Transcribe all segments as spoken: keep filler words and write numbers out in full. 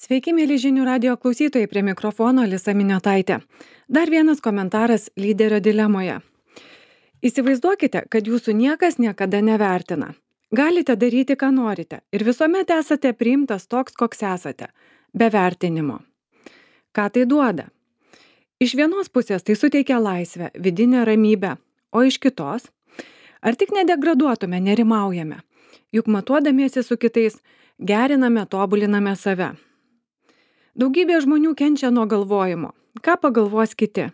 Sveiki, mėly žinių radio klausytojai, prie mikrofono Alisa Miniotaitė. Dar vienas komentaras lyderio dilemoje. Įsivaizduokite, kad jūsų niekas niekada nevertina. Galite daryti, ką norite ir visuomet esate priimtas toks, koks esate, be vertinimo. Ką tai duoda? Iš vienos pusės tai suteikia laisvę, vidinę ramybę, o iš kitos, ar tik nedegraduotume, nerimaujame, juk matuodamiesi su kitais geriname, tobuliname save. Daugybė žmonių kenčia nuo galvojimo. Ką pagalvos kiti?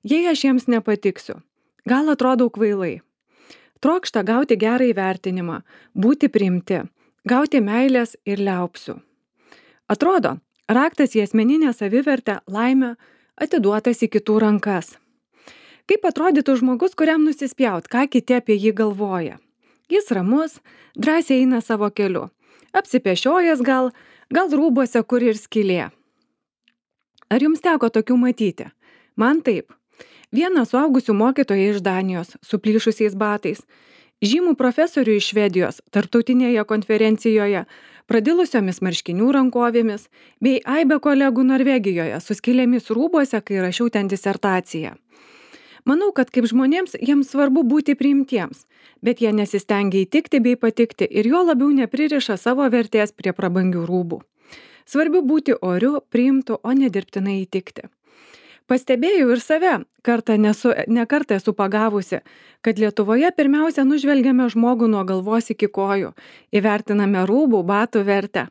Jei aš jiems nepatiksiu, gal atrodau kvailai. Trokšta gauti gerą įvertinimą, būti priimti, gauti meilės ir liaupsių. Atrodo, raktas į asmeninę savivertę, laimę atiduotas į kitų rankas. Kaip atrodytų žmogus, kuriam nusispjaut, ką kiti apie jį galvoja? Jis ramus, drąsiai eina savo keliu. Apsipešiojęs gal, gal rūbuose kur ir skylė. Ar jums teko tokių matyti? Man taip. Vieną suaugusių mokytoją iš Danijos su plyšusiais batais, žymų profesorių iš Švedijos tarptautinėje konferencijoje, pradilusiomis marškinių rankovėmis, bei aibę kolegų Norvegijoje su skylėmis rūbuose, kai rašiau ten disertaciją. Manau, kad kaip žmonėms jiems svarbu būti priimtiems, bet jie nesistengia įtikti bei patikti ir jo labiau nepririša savo vertės prie prabangių rūbų. Svarbu būti oriu, priimtu, o ne dirbtinai įtikti. Pastebėjau ir save, kartą nesu, ne kartą esu pagavusi, kad Lietuvoje pirmiausia nužvelgiame žmogų nuo galvos iki kojų, įvertiname rūbų, batų vertę.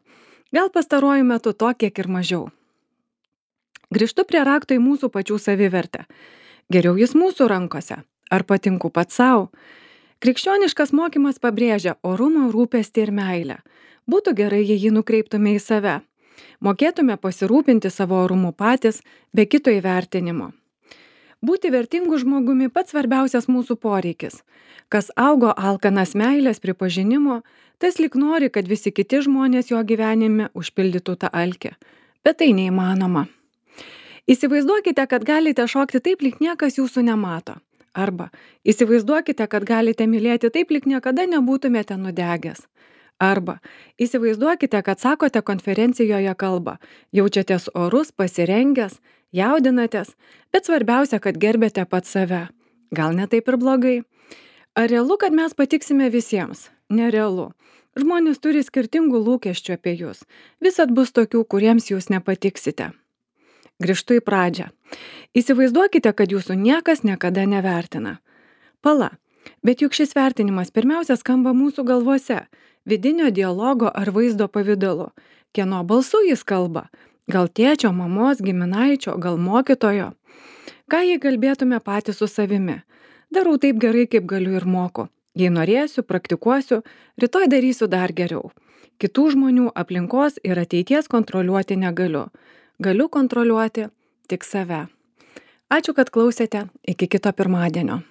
Gal pastaruoju metu to kiek ir mažiau. Grįžtu prie rakto į mūsų pačių savivertę. Geriau jis mūsų rankose. Ar patinku pats savo? Krikščioniškas mokymas pabrėžia orumą, rūpestį ir meilę. Būtų gerai, jei jį nukreiptume į save. Mokėtume pasirūpinti savo orumu patys, be kito įvertinimo. Būti vertingu žmogumi pats svarbiausias mūsų poreikis. Kas augo alkanas meilės pripažinimo, tas lyg nori, kad visi kiti žmonės jo gyvenime užpildytų tą alkį. Bet tai neįmanoma. Įsivaizduokite, kad galite šokti taip, lyg niekas jūsų nemato. Arba įsivaizduokite, kad galite mylėti taip, lyg niekada nebūtumėte nudegęs. Arba įsivaizduokite, kad sakote konferencijoje kalbą, jaučiatės orus, pasirengęs, jaudinatės, bet svarbiausia, kad gerbėte pats save. Gal ne taip ir blogai? Ar realu, kad mes patiksime visiems? Nerealu. Žmonės turi skirtingų lūkesčių apie jūs. Visad bus tokių, kuriems jūs nepatiksite. Grįžtu į pradžią. Įsivaizduokite, kad jūsų niekas niekada nevertina. Pala, bet juk šis vertinimas pirmiausia skamba mūsų galvose, vidinio dialogo ar vaizdo pavidalu. Kieno balsu jis kalba? Gal tėčio, mamos, giminaičio, gal mokytojo? Ką jei kalbėtume patys su savimi? Darau taip gerai, kaip galiu ir moku. Jei norėsiu, praktikuosiu, rytoj darysiu dar geriau. Kitų žmonių, aplinkos ir ateities kontroliuoti negaliu. Galiu kontroliuoti tik save. Ačiū, kad klausėte. Iki kito pirmadienio.